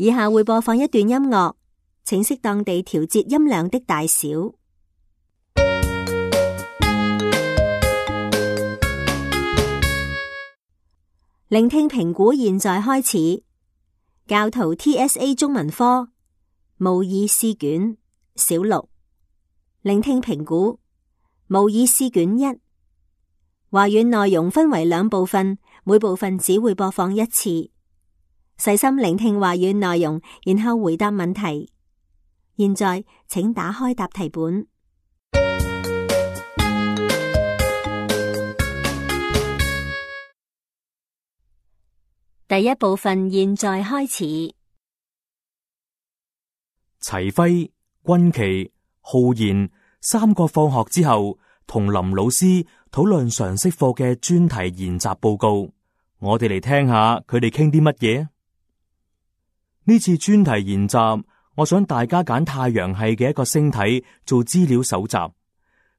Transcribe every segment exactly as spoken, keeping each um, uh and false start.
以下會播放一段音樂，請適當地調節音量的大小。聆聽評估現在開始。教徒 T S A 中文科模擬試卷小六。聆聽評估模擬試卷一。話語內容分為兩部分，每部分只會播放一次。細心聆聽話語內容，然後回答問題。現在請打開答題本。第一部分現在開始。齊輝、君琪、浩然三個放學之後同林老師討論常識課嘅專題研習報告。我哋嚟聽下佢哋傾啲乜嘢。呢次專題研習，我想大家揀太陽系嘅一個星體做資料搜集，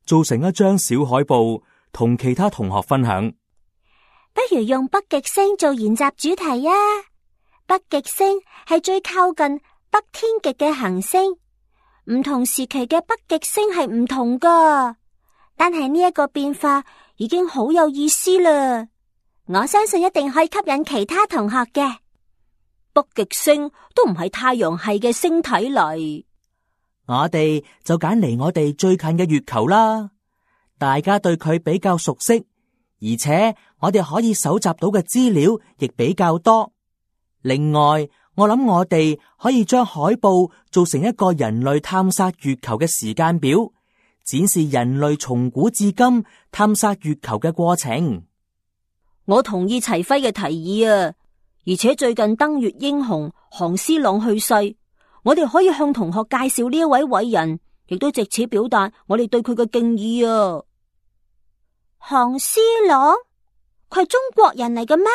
做成一張小海報，同其他同學分享。不如用北極星做研習主題啊！北極星係最靠近北天極嘅行星，唔同時期嘅北極星係唔同噶，但係呢一個變化已經好有意思啦。我相信一定可以吸引其他同學嘅。北極星都唔係太陽系嘅星體嚟，我哋就揀離我哋最近嘅月球啦。大家對佢比較熟悉，而且我哋可以搜集到嘅資料亦比較多。另外，我諗我哋可以將海報做成一個人類探索月球嘅時間表，展示人類從古至今探索月球嘅過程。我同意齊輝嘅提議啊！而且最近登月英雄韓思朗去世，我哋可以向同學介紹呢一位偉人，亦都借此表達我哋對佢嘅敬意啊！韓思朗，佢係中國人嚟嘅咩？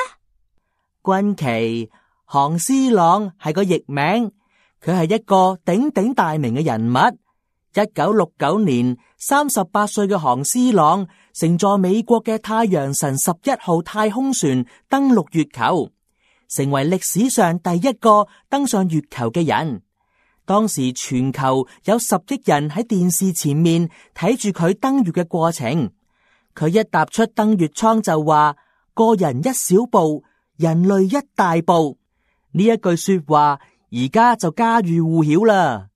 君琪，韓思朗係個譯名，佢係一個鼎鼎大名嘅人物。一九六九年，三十八歲嘅韓思朗乘坐美國嘅太陽神十一號太空船登陸月球，成為歷史上第一個登上月球嘅人。當時全球有十億人喺電視前面睇住佢登月嘅過程。佢一踏出登月艙就話：個人一小步，人類一大步。呢一句說話而家就家喻戶曉啦，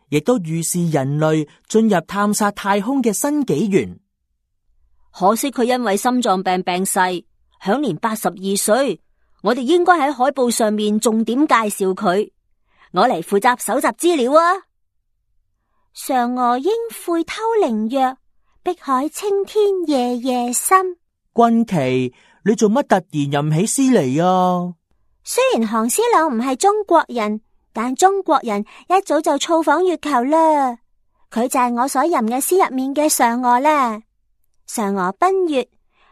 亦都預示人類進入探索太空嘅新紀元。可惜佢因為心臟病病逝，享年八十二歲。我哋應該喺海報上面重點介紹佢。我嚟負責搜集資料啊！嫦娥應悔偷靈藥，碧海青天夜夜深。君琪，你做乜突然吟起詩嚟啊？雖然韓思朗唔係中國人，但中國人一早就造訪月球啦。佢就係我所吟嘅詩入面嘅嫦娥啦。嫦娥奔月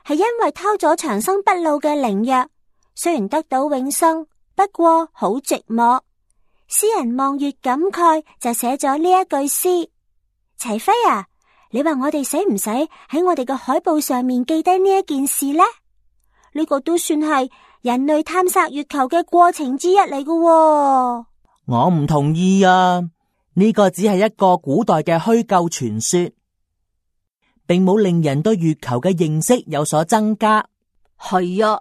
係因為偷咗長生不老嘅靈藥。雖然得到永生，不過好寂寞。詩人望月感慨，就寫咗呢一句詩。齊輝啊，你話我哋使唔使喺我哋嘅海報上面記低呢一件事呢？呢個都算係人類探索月球嘅過程之一嚟嘅喎。我唔同意啊！呢個只係一個古代嘅虛構傳說，並冇令人對月球嘅認識有所增加。係啊。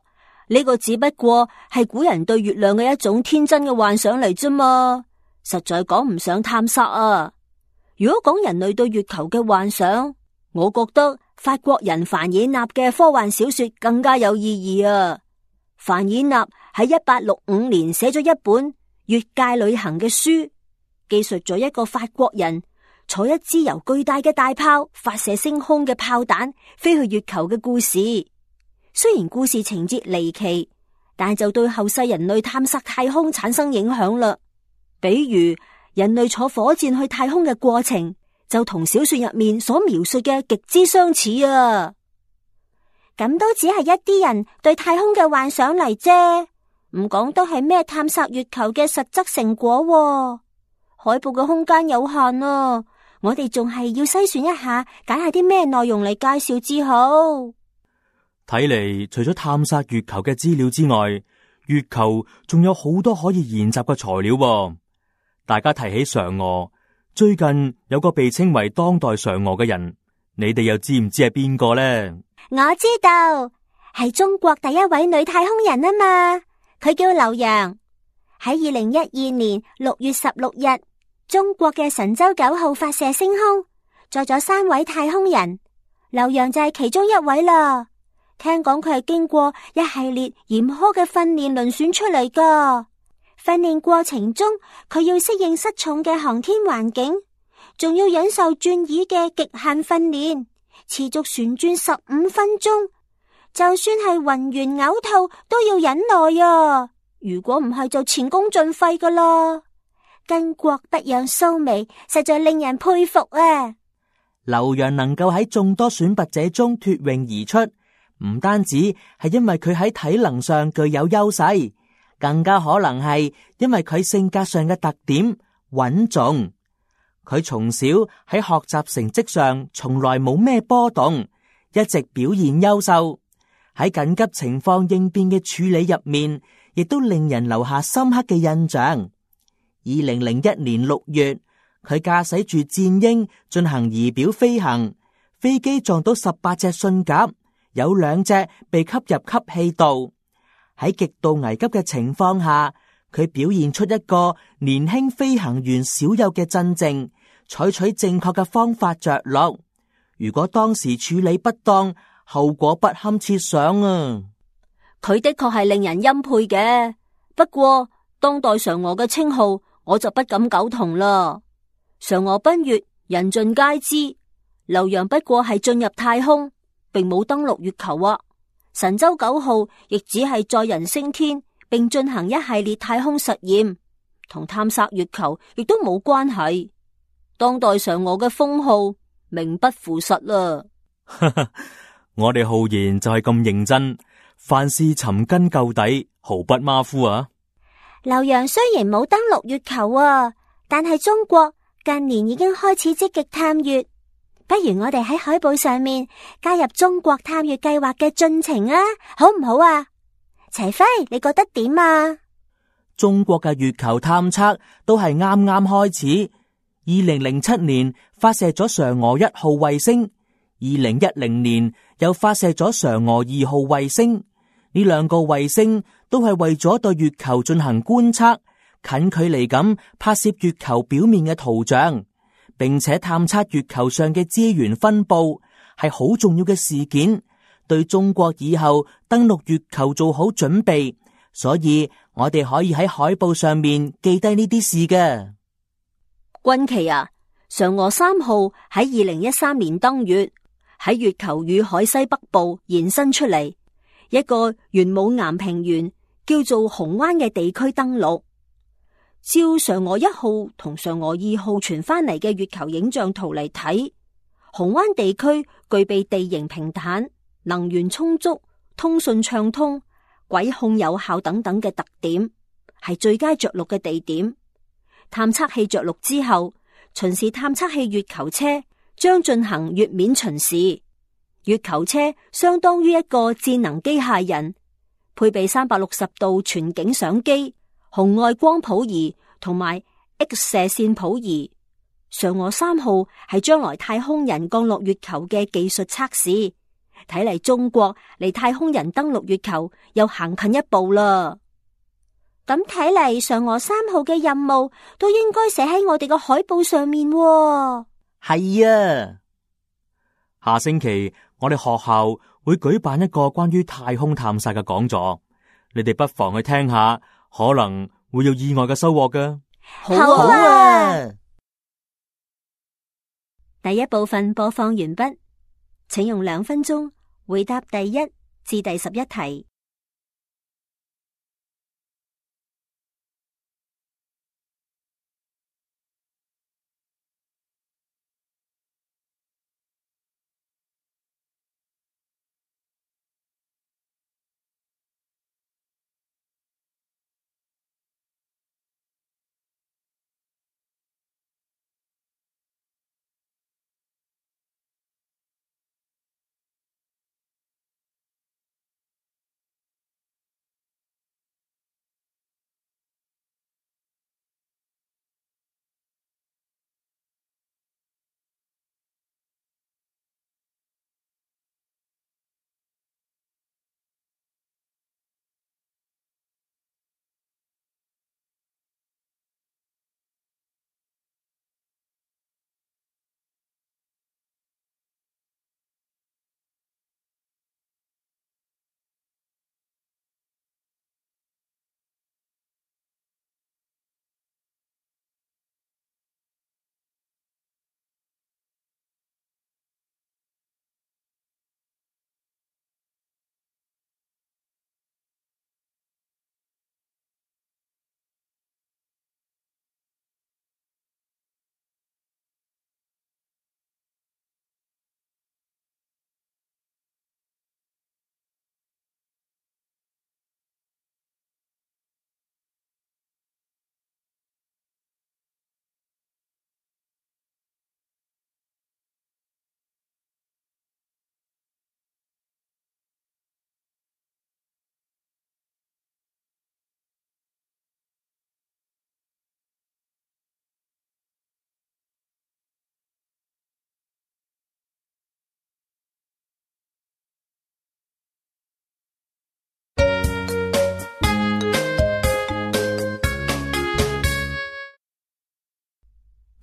呢個只不過係古人對月亮嘅一種天真嘅幻想嚟啫嘛，實在講唔上探索啊！如果講人類對月球嘅幻想，我覺得法國人凡爾納嘅科幻小說更加有意義啊！凡爾納喺一八六五年寫咗一本《越界旅行》嘅書，記述咗一個法國人坐一支由巨大嘅大炮發射升空嘅炮彈飛去月球嘅故事。雖然故事情節離奇，但就對後世人類探索太空產生影響啦。比如人類坐火箭去太空嘅過程，就同小說入面所描述嘅極之相似啊。咁都只係一啲人對太空嘅幻想嚟啫，唔講都係咩探索月球嘅實質成果喎。海報嘅空間有限啊，我哋仲係要篩選一下，揀下啲咩內容嚟介紹至好。睇嚟，除咗探索月球嘅資料之外，月球仲有好多可以研習嘅材料喎。大家提起嫦娥，最近有個被稱為當代嫦娥嘅人，你哋又知唔知係邊個呢？我知道，係中國第一位女太空人啊嘛，佢叫劉洋。喺二零一二年六月十六日，中國嘅神舟九號發射升空，載咗三位太空人，劉洋就係其中一位啦。聽講佢係經過一系列嚴苛嘅訓練遴選出嚟噶。訓練過程中，佢要適應失重嘅航天環境，仲要忍受轉椅嘅極限訓練，持續旋轉十五分鐘。就算係暈完嘔吐都要忍耐啊！如果唔係就前功盡廢噶啦。巾幗不讓鬚眉，實在令人佩服啊！劉洋能夠喺眾多選拔者中脫穎而出，唔單止係因為佢喺體能上具有優勢，更加可能係因為佢性格上嘅特點穩重。佢從小喺學習成績上從來冇咩波動，一直表現優秀。喺緊急情況應變嘅處理入面，亦都令人留下深刻嘅印象。二零零一年六月，佢駕駛住戰鷹進行儀表飛行，飛機撞到十八隻信鴿，有兩隻被吸入吸氣道。喺極度危急嘅情況下，佢表現出一個年輕飛行員少有嘅鎮靜，採取正確嘅方法着陸。如果當時處理不當，後果不堪設想啊！佢的確係令人欽佩嘅，不過當代嫦娥嘅稱號我就不敢苟同啦。嫦娥奔月，人盡皆知，劉洋不過係進入太空，並冇登陸月球啊。神舟九號亦只係載人升天，並進行一系列太空實驗，同探索月球亦都冇關係。當代嫦娥嘅封號名不符實啦。我哋浩然就係咁認真，凡事尋根究底，毫不馬虎啊！劉洋雖然冇登陸月球啊，但係中國近年已經開始積極探月。不如我哋喺海報上面加入中國探月計劃嘅進程啊，好唔好啊？齊輝，你覺得點啊？中國嘅月球探測都係啱啱開始。二零零七年發射咗嫦娥一號衛星，二零一零年又發射咗嫦娥二號衛星。呢兩個衛星都係為咗對月球進行觀測，近距離咁拍攝月球表面嘅圖像，並且探測月球上嘅資源分布，係好重要嘅事件，對中國以後登陸月球做好準備。所以我哋可以喺海報上面記低呢啲事嘅。軍旗啊，嫦娥三號喺二零一三年登月，喺月球與海西北部延伸出嚟一個玄武岩平原叫做紅灣嘅地區登陸。照嫦娥一號同嫦娥二號傳翻嚟嘅月球影像圖嚟睇，紅灣地區具備地形平坦、能源充足、通訊暢通、軌控有效等等嘅特點，係最佳着陸嘅地點。探測器着陸之後，巡視探測器月球車將進行月面巡視。月球車相當於一個智能機械人，配備三百六十度全景相機、紅外光譜儀同埋 X 射線譜儀。嫦娥三號係將來太空人降落月球嘅技術測試。睇嚟中國離太空人登陸月球又行近一步啦。咁睇嚟，嫦娥三號嘅任務都應該寫喺我哋個海報上面喎。係啊，下星期我哋學校會舉辦一個關於太空探索嘅講座，你哋不妨去聽下，可能會有意外嘅收穫㗎。好啊！第一部分播放完畢，請用兩分鐘回答第一至第十一題。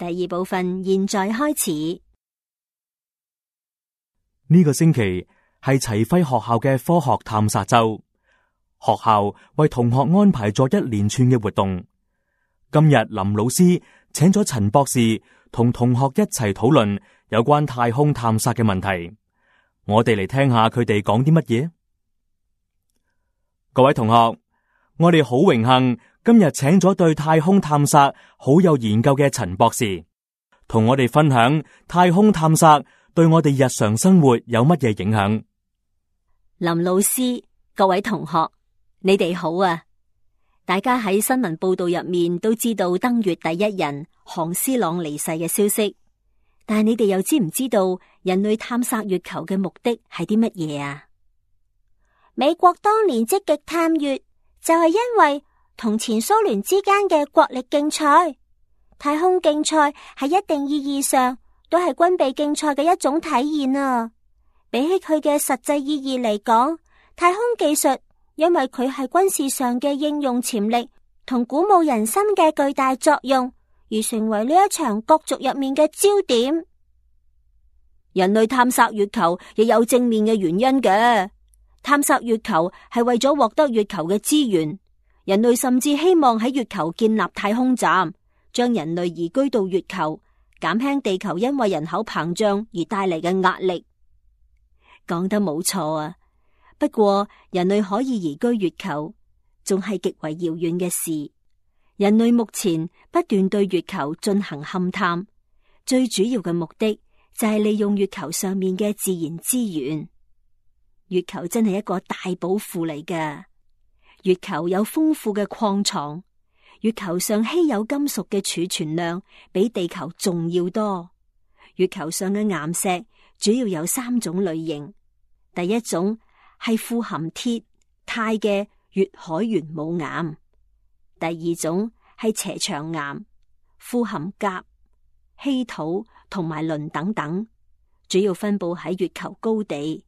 第二部分現在開始。呢個星期係齊輝學校嘅科學探索周，學校為同學安排咗一連串嘅活動。今日林老師請咗陳博士同同學一齊討論有關太空探索嘅問題。我哋嚟聽下佢哋講啲乜嘢。各位同學，我哋好榮幸今日請咗對太空探索好有研究嘅陳博士，同我哋分享太空探索對我哋日常生活有乜嘢影響。林老師，各位同學，你哋好啊！大家喺新聞報道入面都知道登月第一人韓思朗離世嘅消息，但係你哋又知唔知道人類探索月球嘅目的係啲乜嘢啊？美國當年積極探月，就係因為同前蘇聯之間嘅國力競賽。太空競賽喺一定意義上都係軍備競賽嘅一種體現啊！比起佢嘅實際意義嚟講，太空技術因為佢係軍事上嘅應用潛力同鼓舞人心嘅巨大作用，而成為呢一場角逐入面嘅焦點。人類探索月球亦有正面嘅原因嘅。探索月球係為咗獲得月球嘅資源，人類甚至希望喺月球建立太空站，將人類移居到月球，減輕地球因為人口膨脹而帶嚟嘅壓力。講得冇錯啊！不過人類可以移居月球，仲係極為遙遠嘅事。人類目前不斷對月球進行勘探，最主要嘅目的就係利用月球上面嘅自然資源。月球真係一個大寶庫嚟㗎。月球有豐富嘅礦藏，月球上稀有金屬嘅儲存量比地球仲要多。月球上嘅岩石主要有三種類型，第一種係富含鐵、鈦嘅月海玄武岩，第二種係斜長岩，富含鉀、稀土同埋磷等等，主要分布喺月球高地。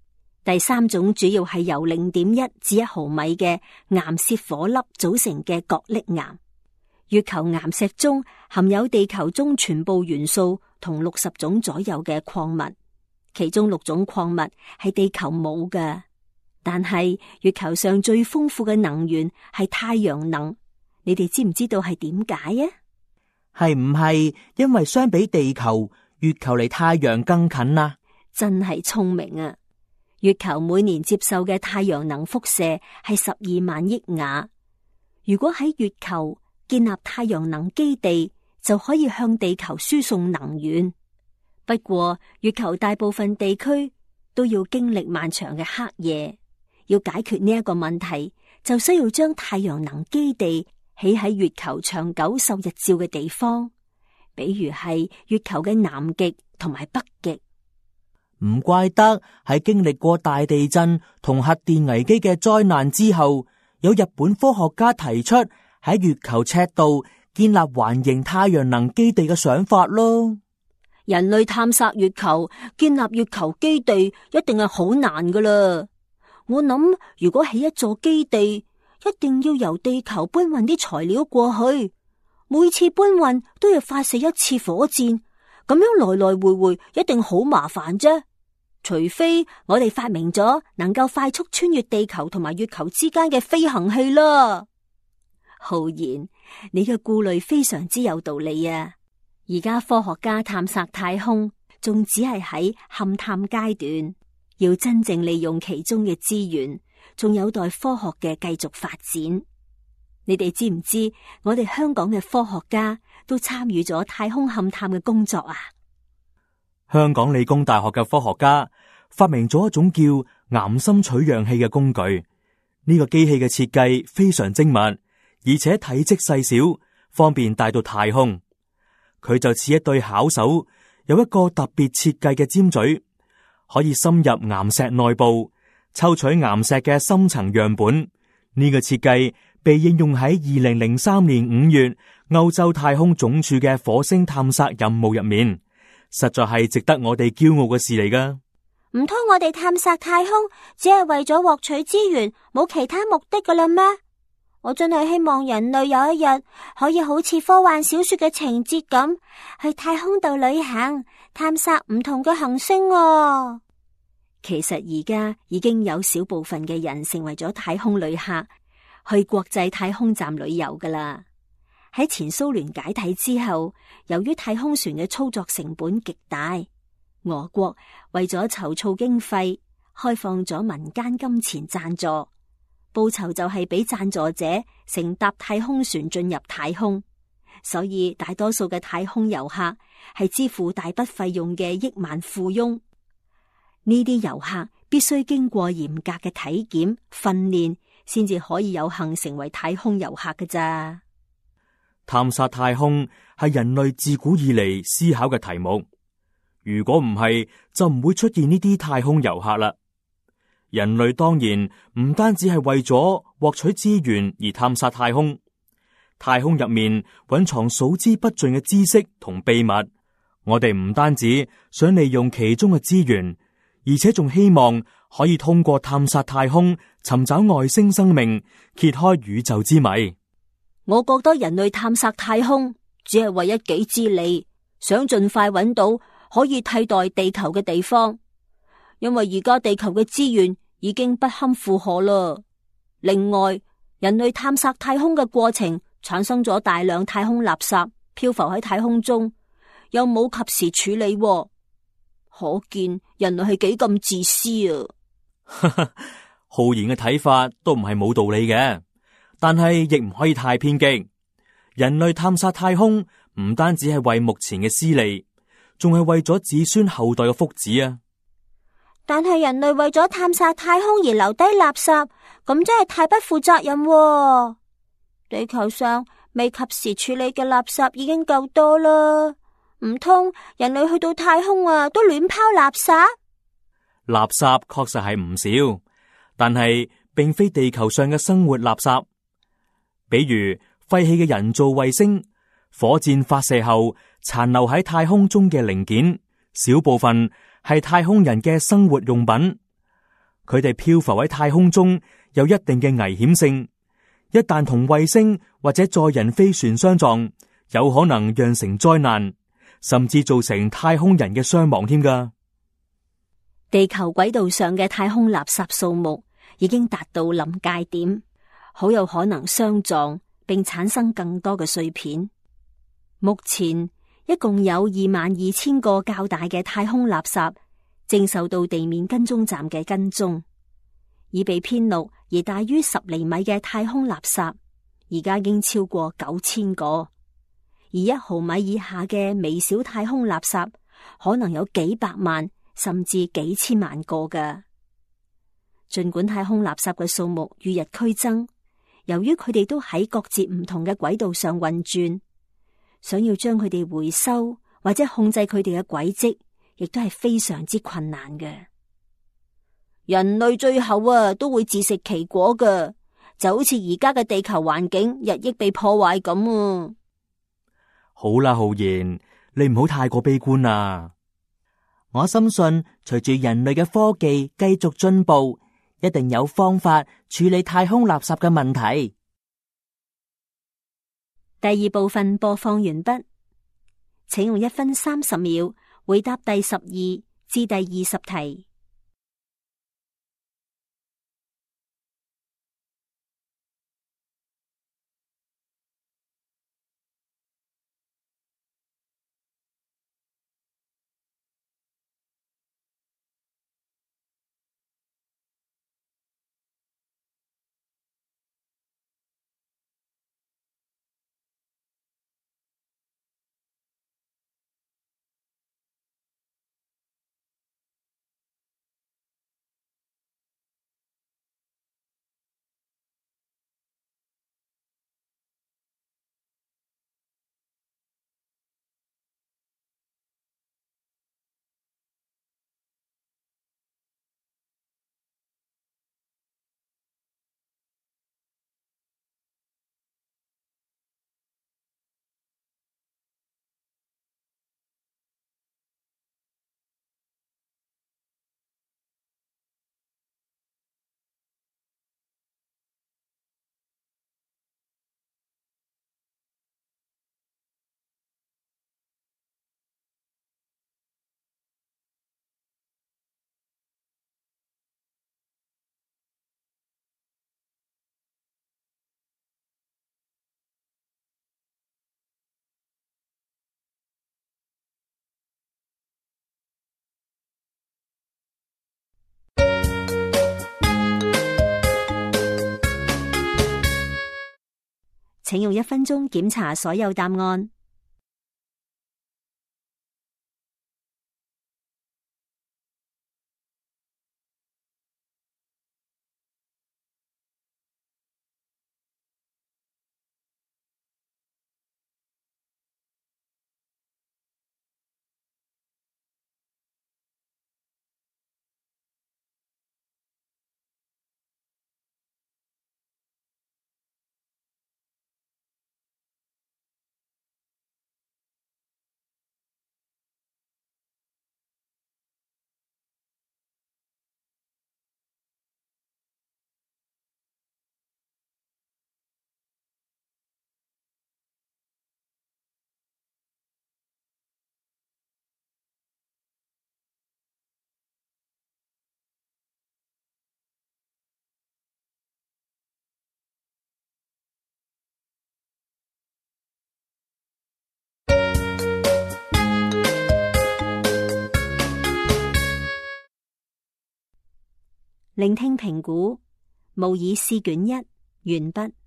第三種主要係由零點一至一毫米嘅岩屑顆粒組成嘅角礫岩。月球岩石中含有地球中全部元素同六十種左右嘅礦物，其中六種礦物係地球冇嘅。但係月球上最豐富嘅能源係太陽能，你哋知唔知道係點解啊？係唔係因為相比地球，月球離太陽更近啊？真係聰明啊！月球每年接受嘅太陽能輻射係十二萬億瓦。如果喺月球建立太陽能基地，就可以向地球輸送能源。不過，月球大部分地區都要經歷漫長嘅黑夜。要解決呢一個問題，就需要將太陽能基地起喺月球長久受日照嘅地方，比如係月球嘅南極同埋北極。唔怪得喺經歷過大地震同核電危機嘅災難之後，有日本科學家提出喺月球赤道建立環形太陽能基地嘅想法咯。人類探索月球，建立月球基地一定係好難噶啦。我諗如果起一座基地，一定要由地球搬運啲材料過去，每次搬運都要發射一次火箭。咁樣來來回回一定好麻煩啫，除非我哋發明咗能夠快速穿越地球同埋月球之間嘅飛行器啦。浩然，你嘅顧慮非常之有道理啊！而家科學家探索太空仲只係喺勘探階段，要真正利用其中嘅資源，仲有待科學嘅繼續發展。你哋知唔知我哋香港嘅科學家都參與咗太空勘探嘅工作啊？香港理工大學嘅科學家發明咗一種叫岩心取樣器嘅工具。呢個機器嘅設計非常精密，而且體積細小，方便帶到太空。佢就似一對巧手，有一個特別設計嘅尖嘴，可以深入岩石內部，抽取岩石嘅深層樣本。呢個設計被應用喺二零零三年五月歐洲太空總署嘅火星探索任務入面，實在係值得我哋驕傲嘅事嚟㗎。唔通我哋探索太空只係為咗獲取資源，冇其他目的㗎喇咩？我真係希望人類有一日可以好似科幻小說嘅情節咁，去太空度旅行，探索唔同嘅行星啊。其實而家已經有少部分嘅人成為咗太空旅客，去國際太空站旅遊噶啦。喺前蘇聯解體之後，由於太空船嘅操作成本極大，俄國為咗籌措經費，開放咗民間金錢贊助。報酬就係俾贊助者乘搭太空船進入太空，所以大多數嘅太空遊客係支付大筆費用嘅億萬富翁。呢啲遊客必須經過嚴格嘅體檢訓練，先至可以有幸成為太空遊客㗎咋。探索太空係人類自古以嚟思考嘅題目，如果唔係，就唔會出現呢啲太空遊客啦。人類當然唔單止係為咗獲取資源而探索太空，太空入面蘊藏數之不盡嘅知識同秘密。我哋唔單止想利用其中嘅資源，而且仲希望可以通過探索太空，尋找外星生命，揭開宇宙之謎。我覺得人類探索太空只係為一己之利，想盡快揾到可以替代地球嘅地方。因為而家地球嘅資源已經不堪負荷啦。另外，人類探索太空嘅過程產生咗大量太空垃圾，漂浮喺太空中，又冇及時處理，可見人類係幾咁自私啊！浩然嘅睇法都唔係冇道理嘅，但係亦唔可以太偏激。人類探索太空唔單止係為目前嘅私利，仲係為咗子孫後代嘅福祉啊！但係人類為咗探索太空而留低垃圾，咁真係太不負責任喎。地球上未及時處理嘅垃圾已經夠多啦，唔通人類去到太空啊都亂拋垃圾？垃圾確實係唔少，但係並非地球上嘅生活垃圾。比如廢棄嘅人造衛星、火箭發射後殘留喺太空中嘅零件，小部分係太空人嘅生活用品，佢哋漂浮喺太空中有一定嘅危險性，一旦同衛星或者載人飛船相撞，有可能釀成災難，甚至造成太空人嘅傷亡添㗎。地球軌道上嘅太空垃圾數目已經達到臨界點，好有可能相撞並產生更多嘅碎片。目前一共有二萬二千個較大嘅太空垃圾正受到地面跟蹤站嘅跟蹤，已被編錄而大於十厘米嘅太空垃圾而家已經超過九千個，而一毫米以下嘅微小太空垃圾可能有幾百萬甚至幾千萬個㗎。盡管太空垃圾嘅數目與日俱增，由於佢哋都喺各自唔同嘅軌道上運轉，想要將佢哋回收或者控制佢哋嘅軌跡，亦都係非常之困難嘅。人類最後啊都會自食其果㗎，就好似而家嘅地球環境日益被破壞咁啊！好啦，浩然，你唔好太過悲觀啊！我深信，隨住人類嘅科技繼續進步，一定有方法處理太空垃圾嘅問題。第二部分播放完畢，請用一分三十秒回答第十二至第二十題。請用一分鐘檢查所有答案。聆聽評估，模擬試卷一完畢。